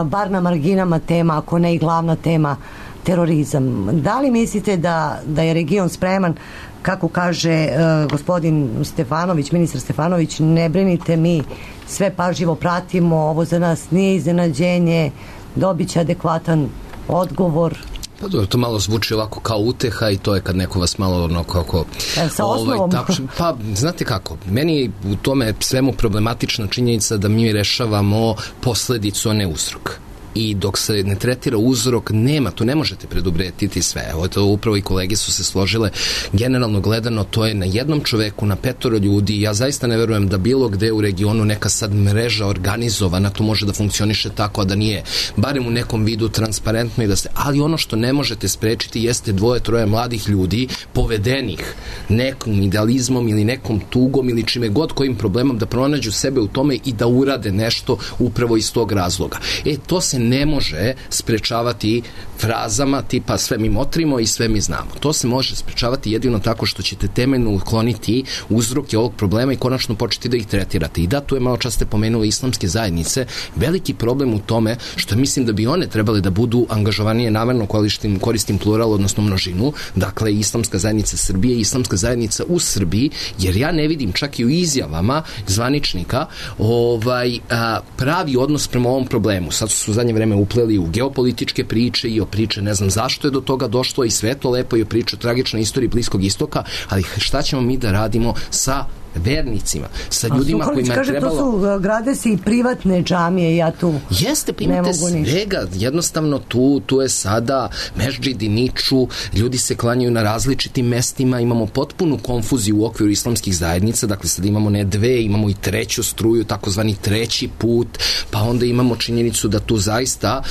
bar na marginama tema, ako ne i glavna tema, terorizam. Da li mislite da je region spreman, kako kaže gospodin Stefanović, ministar Stefanović, ne brinite, mi sve pažljivo pratimo, ovo za nas nije iznenađenje, dobit će adekvatan odgovor? Pa dobro, to malo zvuči ovako kao uteha i to je kad neko vas malo ono kako... Sa osnovom? Pa, znate kako, meni u tome svemu problematična činjenica da mi rešavamo posledicu, a ne uzrok. I dok se ne tretira uzrok, nema, tu ne možete preduprediti sve. Evo, to upravo i kolege su se složile. Generalno gledano, to je na jednom čoveku, na 5 ljudi. Ja zaista ne verujem da bilo gde u regionu neka sad mreža organizovana, to može da funkcioniše tako, a da nije barem u nekom vidu transparentno i da se... Ali ono što ne možete sprečiti jeste 2-3 mladih ljudi povedenih nekom idealizmom ili nekom tugom ili čime god kojim problemom da pronađu sebe u tome i da urade nešto upravo iz tog razloga. To se ne može sprečavati frazama tipa sve mi motrimo i sve mi znamo. To se može sprečavati jedino tako što ćete temeljno ukloniti uzroke ovog problema i konačno početi da ih tretirate. I da, tu je malo čas ste pomenuli islamske zajednice. Veliki problem u tome što mislim da bi one trebale da budu angažovanije, namerno koristim plural, odnosno množinu, dakle islamska zajednica Srbije i islamska zajednica u Srbiji, jer ja ne vidim čak i u izjavama zvaničnika pravi odnos prema ovom problemu. Sad su zadnje vreme upleli u geopolitičke priče i o priče ne znam zašto je do toga došlo i sve to lepo i o priče o tragičnoj istoriji Bliskog istoka, ali šta ćemo mi da radimo sa vernicima, sa ljudima kojima je trebalo... To su grade se i privatne džamije, ja tu jeste, primite svega, jednostavno tu je sada mešdžidi niču, ljudi se klanjaju na različitim mestima, imamo potpunu konfuziju u okviru islamskih zajednica, dakle sad imamo ne 2, imamo i 3. struju, takozvani 3. put, pa onda imamo činjenicu da tu zaista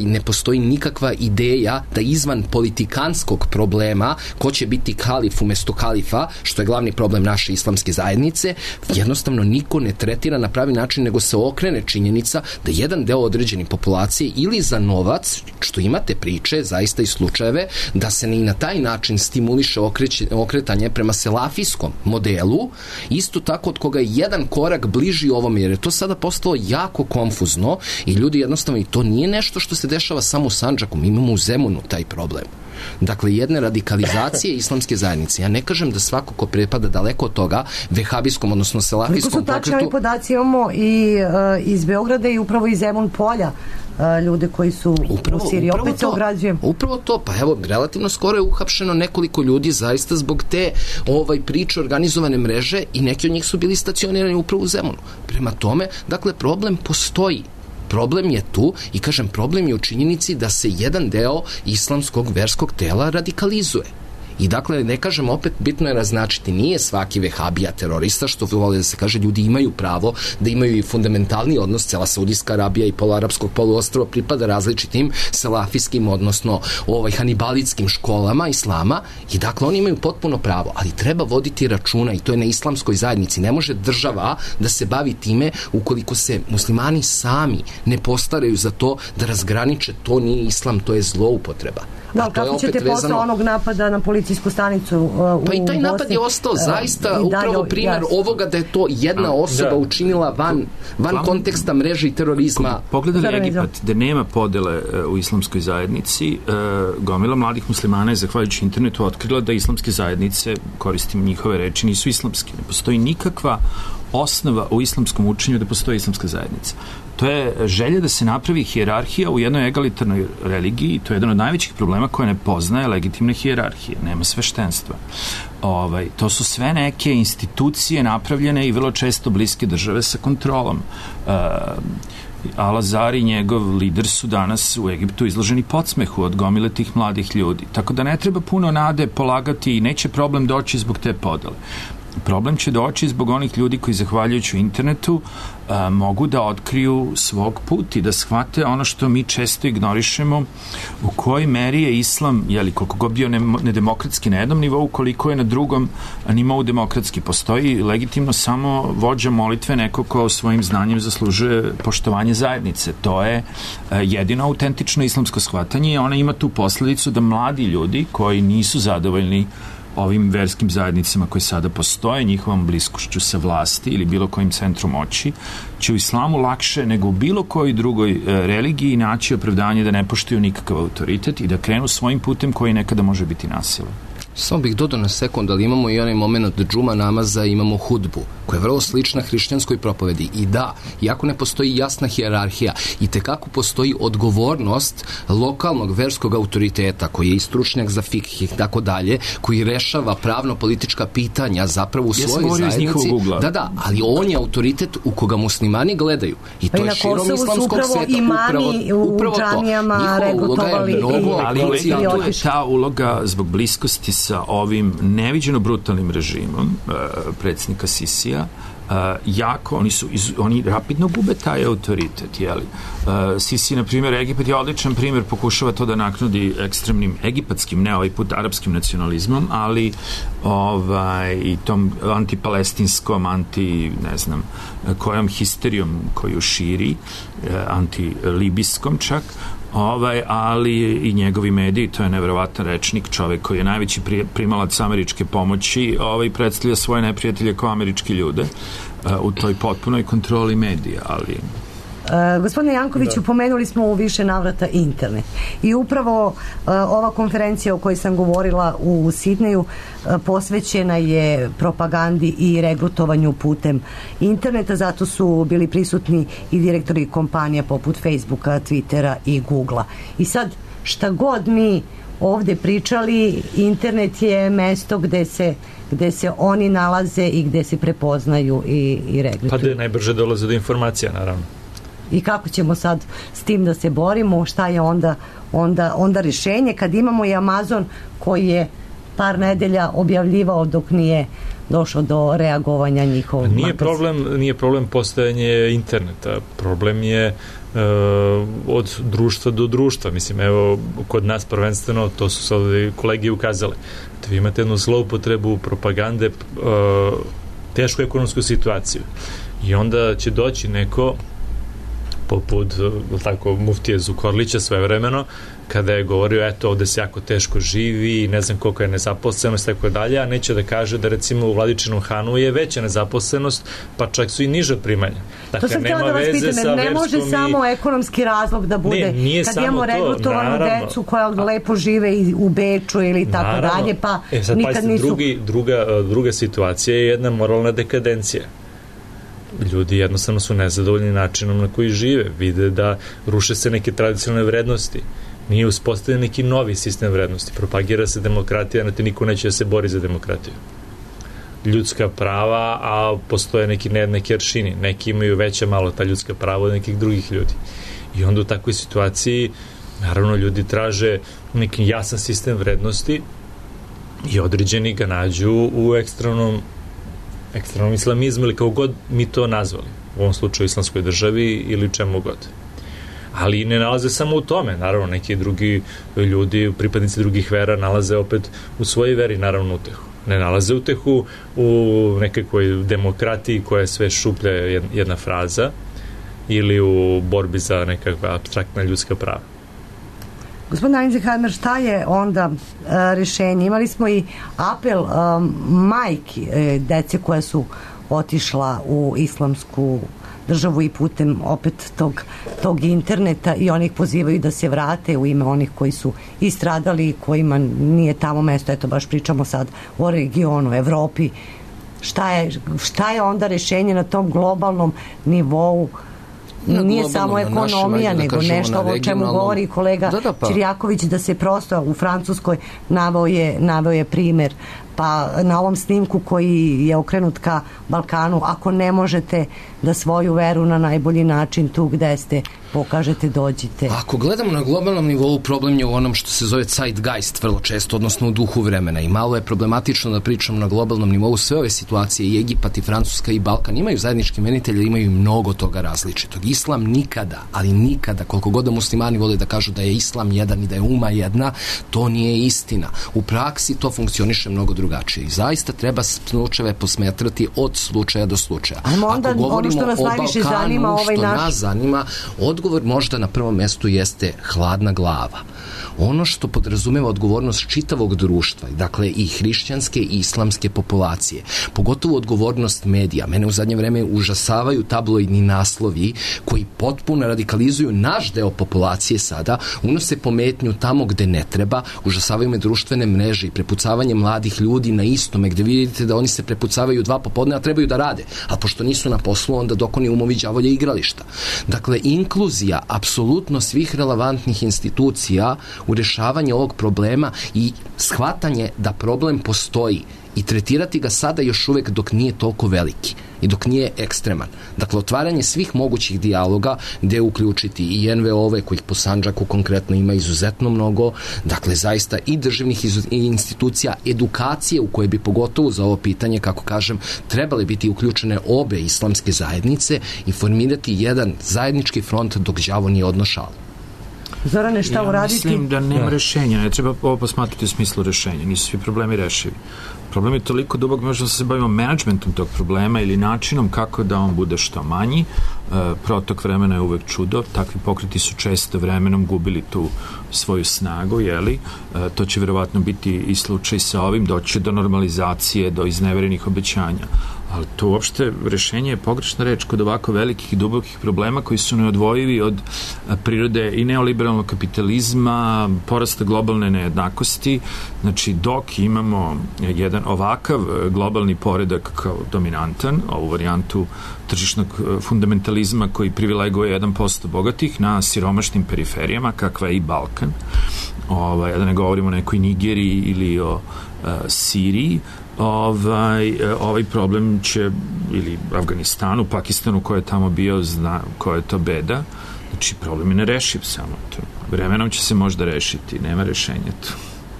ne postoji nikakva ideja da izvan politikanskog problema ko će biti kalif umesto kalifa, što je glavni problem naše islamske zajednice, jednostavno niko ne tretira na pravi način, nego se okrene činjenica da jedan deo određene populacije ili za novac, što imate priče, zaista i slučajeve, da se i na taj način stimuliše okretanje prema selafijskom modelu, isto tako od koga je jedan korak bliži ovom, jer je to sada postalo jako konfuzno i ljudi jednostavno, i to nije nešto što se dešava samo u Sandžaku, mi imamo u Zemunu taj problem. Dakle, jedne radikalizacije islamske zajednice. Ja ne kažem da svako ko pripada daleko od toga vehabijskom, odnosno selafijskom pokretu... Koliko su tačni ovi podaci imamo i iz Beograda i upravo iz Zemun polja ljude koji su u Siriji. Opet se ograđujem. Upravo to. Pa evo, relativno skoro je uhapšeno nekoliko ljudi zaista zbog te priče organizovane mreže i neki od njih su bili stacionirani upravo u Zemunu. Prema tome, dakle, problem postoji. Problem je tu i kažem, problem je u činjenici da se jedan deo islamskog verskog tela radikalizuje. I dakle, ne kažem, opet bitno je naznačiti, nije svaki vehabija terorista, što vole da se kaže, ljudi imaju pravo da imaju i fundamentalni odnos, cela Saudijska Arabija i poluarapskog poluostrva pripada različitim selafijskim, odnosno hanibalitskim školama islama i dakle, oni imaju potpuno pravo, ali treba voditi računa i to je na islamskoj zajednici. Ne može država da se bavi time ukoliko se muslimani sami ne postaraju za to da razgraniče, to nije islam, to je zloupotreba. Da, kako ćete posle onog napada na policijsku stanicu u Bosni? Pa i taj napad je ostao zaista upravo primjer ovoga da je to jedna osoba učinila van konteksta mreže i terorizma. Pogledali Egipat, gde nema podele u islamskoj zajednici, gomila mladih muslimana je zahvaljujući internetu otkrila da islamske zajednice, koristim njihove reči, nisu islamske. Ne postoji nikakva osnova u islamskom učenju da postoji islamska zajednica. To je želja da se napravi hijerarhija u jednoj egalitarnoj religiji, to je jedan od najvećih problema koja ne poznaje legitimne hijerarhije, nema sveštenstva. To su sve neke institucije napravljene i vrlo često bliske države sa kontrolom. Al-Azhar i njegov lider su danas u Egiptu izloženi podsmehu od gomile tih mladih ljudi. Tako da ne treba puno nade polagati i neće problem doći zbog te podele. Problem će doći zbog onih ljudi koji zahvaljujući internetu mogu da otkriju svog put i da shvate ono što mi često ignorišemo, u kojoj meri je islam, koliko god bio nedemokratski na jednom nivou, koliko je na drugom nivou demokratski. Postoji legitimno samo vođa molitve, neko ko svojim znanjem zaslužuje poštovanje zajednice. To je jedino autentično islamsko shvatanje i ona ima tu posledicu da mladi ljudi koji nisu zadovoljni ovim verskim zajednicama koje sada postoje, njihovom bliskošću sa vlasti ili bilo kojim centrom moći, će u islamu lakše nego u bilo kojoj drugoj religiji naći opravdanje da ne poštuju nikakav autoritet i da krenu svojim putem koji nekada može biti nasilan. Samo bih dodao na sekund, ali imamo i onaj moment džuma namaza, imamo hudbu, koja je vrlo slična hrišćanskoj propovedi. I da, iako ne postoji jasna hijerarhija, i tekako postoji odgovornost lokalnog verskog autoriteta, koji je i stručnjak za fikh i tako dalje, koji rešava pravno-politička pitanja zapravo u svojoj zajednici. Da, ali on je autoritet u koga muslimani gledaju. I to je širom islamskog sveta. Imami u džamijama regrutovali. Ali tu je ta uloga zbog bliskosti sa ovim neviđeno brutalnim režimom predsjednika Sisija, oni rapidno gube taj autoritet, Sisi, na primjer, Egipat je odličan primjer, pokušava to da naknudi ekstremnim egipatskim, ne ovaj put arapskim nacionalizmom, ali i tom antipalestinskom, ne znam, kojom histerijom koju širi, antilibijskom čak, ali i njegovi mediji, to je neverovatan rečnik, čovek koji je najveći primalac američke pomoći, predstavlja svoje neprijatelje kao američki ljude u toj potpunoj kontroli medija, ali... Gospodine Jankoviću, pomenuli smo u više navrata internet i upravo ova konferencija o kojoj sam govorila u Sidneju posvećena je propagandi i regrutovanju putem interneta, zato su bili prisutni i direktori kompanija poput Facebooka, Twittera i Googlea. I sad, šta god mi ovde pričali, internet je mesto gde se oni nalaze i gde se prepoznaju i regrutuju. Pa gde najbrže dolaze do informacija, naravno. I kako ćemo sad s tim da se borimo, šta je onda rješenje kad imamo i Amazon koji je par nedelja objavljivao dok nije došlo do reagovanja njihovog. Nije problem postojanje interneta, problem je od društva do društva. Mislim, evo, kod nas prvenstveno, to su sad kolegi ukazale, da vi imate jednu zloupotrebu propagande, tešku ekonomsku situaciju. I onda će doći neko poput muftije Zukorlića svojevremeno, kada je govorio, eto, ovde se jako teško živi, ne znam koliko je nezaposlenost, tako dalje, a neće da kaže da recimo u Vladičinom Hanu je veća nezaposlenost, pa čak su i niža primanja. Dakle, to sam htjela da vas pitam, ne može samo ekonomski razlog da bude, kad imamo regrutovanu decu koja lepo žive u Beču ili tako dalje, pa nikad nisu... Druga situacija je jedna moralna dekadencija. Ljudi jednostavno su nezadovoljni načinom na koji žive, vide da ruše se neke tradicionalne vrednosti, nije uspostavljen neki novi sistem vrednosti, propagira se demokratija, niko neće da se bori za demokratiju. Ljudska prava, a postoje neki nejednaki aršini, neki imaju veća malo ta ljudska prava od nekih drugih ljudi. I onda u takvoj situaciji, naravno, ljudi traže neki jasan sistem vrednosti i određeni ga nađu u ekstremnom islamizmu ili kao god mi to nazvali, u ovom slučaju islamskoj državi ili čemu god. Ali ne nalaze samo u tome, naravno, neki drugi ljudi, pripadnici drugih vera nalaze opet u svojoj veri, naravno, utehu. Ne nalaze utehu u nekakvoj demokratiji koja je sve šuplja jedna fraza ili u borbi za nekakva apstraktna ljudska prava. Gospodin Eisenheimer, šta je onda rješenje? Imali smo i apel majki dece koja su otišla u islamsku državu i putem opet tog interneta i oni ih pozivaju da se vrate u ime onih koji su istradali i kojima nije tamo mesto. Eto, baš pričamo sad o regionu, Evropi. Šta je onda rješenje na tom globalnom nivou? Nije samo ekonomija, nego nešto o čemu govori kolega Čirjaković, da se prosto u Francuskoj naveo je primer pa na ovom snimku koji je okrenut ka Balkanu, ako ne možete da svoju veru na najbolji način tu gde ste pokažete, dođite. Ako gledamo na globalnom nivou, problem je u onom što se zove zeitgeist vrlo često, odnosno u duhu vremena, i malo je problematično da pričamo na globalnom nivou. Sve ove situacije, i Egipat, i Francuska, i Balkan, imaju zajednički imenitelje, imaju mnogo toga različitog. Islam nikada, ali nikada, koliko god da muslimani vole da kažu da je islam jedan i da je umma jedna, to nije istina. U praksi to funkcioniše mnogo drugačije i zaista treba slučajeve posmetrati od slučaja do slučaja. Ajmo onda ono što nas najviše zanima, ovaj naš... nas zanima, odgovor možda na prvom mestu jeste hladna glava. Ono što podrazumeva odgovornost čitavog društva, dakle i hrišćanske i islamske populacije, pogotovo odgovornost medija. Mene u zadnje vreme užasavaju tabloidni naslovi koji potpuno radikalizuju naš deo populacije sada, unose pometnju tamo gde ne treba, užasavaju me društvene mreže i prepucavanje mladih ljudi na istome, gde vidite da oni se prepucavaju 2 popodne, a trebaju da rade, a pošto nisu na poslu, onda dok oni umovi đavolja igrališta. Dakle, inkluzija apsolutno svih relevantnih institucija u rešavanju ovog problema i shvatanje da problem postoji i tretirati ga sada još uvek dok nije toliko veliki i dok nije ekstreman. Dakle, otvaranje svih mogućih dijaloga gde uključiti i NVO-ove, kojih po Sandžaku konkretno ima izuzetno mnogo, dakle, zaista i državnih institucija, edukacije u koje bi pogotovo za ovo pitanje, kako kažem, trebali biti uključene obe islamske zajednice i formirati jedan zajednički front dok đavo nije odnošao. Zorane, šta uraditi? Mislim da nema rešenja, ne treba ovo posmatrati u smislu rešenja, nisu svi problemi rešivi. Problem je toliko dubok, možda se bavimo menadžmentom tog problema ili načinom kako da on bude što manji. Protok vremena je uvek čudo, takvi pokreti su često vremenom gubili tu svoju snagu, jeli? To će verovatno biti i slučaj sa ovim, doći do normalizacije, do izneverenih obećanja. Ali to uopšte rešenje je pogrešna reč kod ovako velikih i dubokih problema koji su neodvojivi od prirode i neoliberalnog kapitalizma, porasta globalne nejednakosti. Znači, dok imamo jedan ovakav globalni poredak kao dominantan, ovu varijantu tržišnog fundamentalizma koji privileguje 1% bogatih na siromašnim periferijama, kakva je i Balkan, da ne govorimo o nekoj Nigeriji ili o Siriji, ovaj problem će, ili Afganistanu, Pakistanu koji je tamo bio, zna koja je to beda, znači problem je nerešiv samo to. Vremenom će se možda rešiti, nema rešenja tu.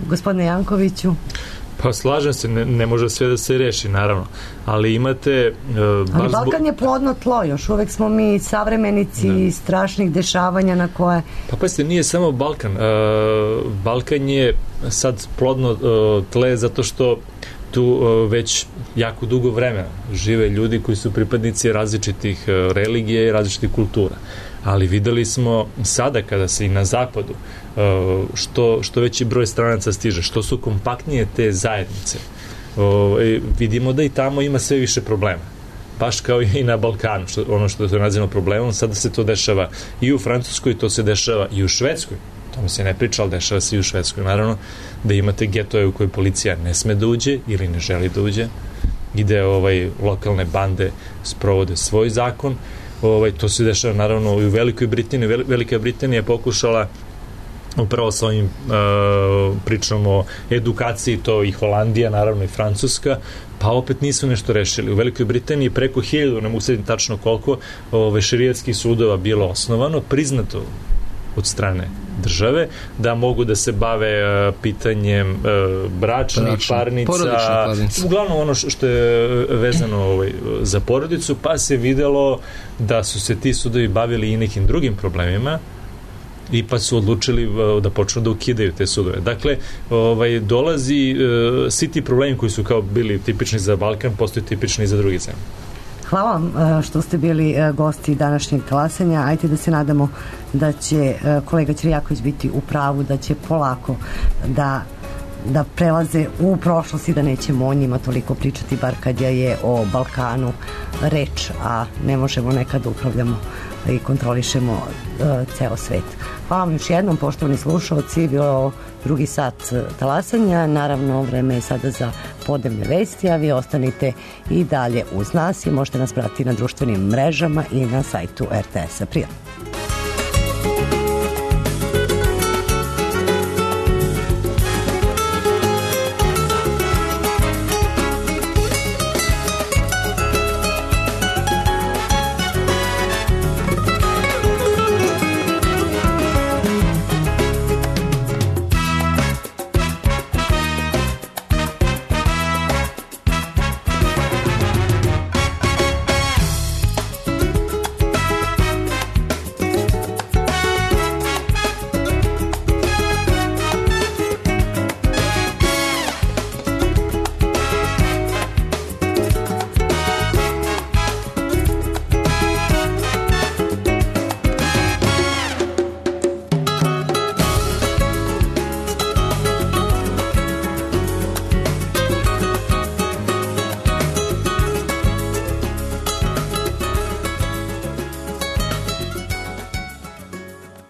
Gospodine Jankoviću? Pa slažem se, ne može sve da se reši, naravno, ali imate... ali Balkan je plodno tlo, još uvek smo mi savremenici strašnih dešavanja na koje... Pa pazite, nije samo Balkan. Balkan je sad plodno tle zato što tu već jako dugo vremena žive ljudi koji su pripadnici različitih religija i različitih kultura. Ali videli smo sada kada se i na zapadu što veći broj stranaca stiže, što su kompaktnije te zajednice, vidimo da i tamo ima sve više problema. Baš kao i na Balkanu, ono što se nazivamo problemom, sada se to dešava i u Francuskoj, to se dešava i u Švedskoj. Tamo se ne priča, ali dešava se i u Švedskoj. Naravno da imate getoje u koje policija ne sme da uđe ili ne želi da uđe, gde lokalne bande sprovode svoj zakon. To se dešava naravno i u Velikoj Britaniji. Velika Britanija je pokušala upravo sa ovim pričamo o edukaciji, to i Holandija, naravno i Francuska, pa opet nisu nešto rešili. U Velikoj Britaniji preko 1000, ne mogu sediti tačno koliko, šerijatskih sudova bilo osnovano, priznato od strane države, da mogu da se bave pitanjem bračnih parnica, uglavnom ono što je vezano za porodicu, pa se videlo da su se ti sudovi bavili i nekim drugim problemima i pa su odlučili da počnu da ukidaju te sudove. Dakle, dolazi svi ti problemi koji su kao bili tipični za Balkan, postaju tipični i za drugi zemlje. Hvala vam što ste bili gosti današnjeg talasanja. Ajde da se nadamo da će kolega Ćirjaković biti u pravu, da će polako da prelaze u prošlost i da nećemo o njima toliko pričati, bar kad je o Balkanu reč, a ne možemo nekad da upravljamo i kontrolišemo ceo svet. Hvala vam još jednom, poštovani slušalci, bilo drugi sat talasanja, naravno vreme je sada za podnevne vesti, a vi ostanite i dalje uz nas i možete nas pratiti na društvenim mrežama i na sajtu RTS-a. Prijatno!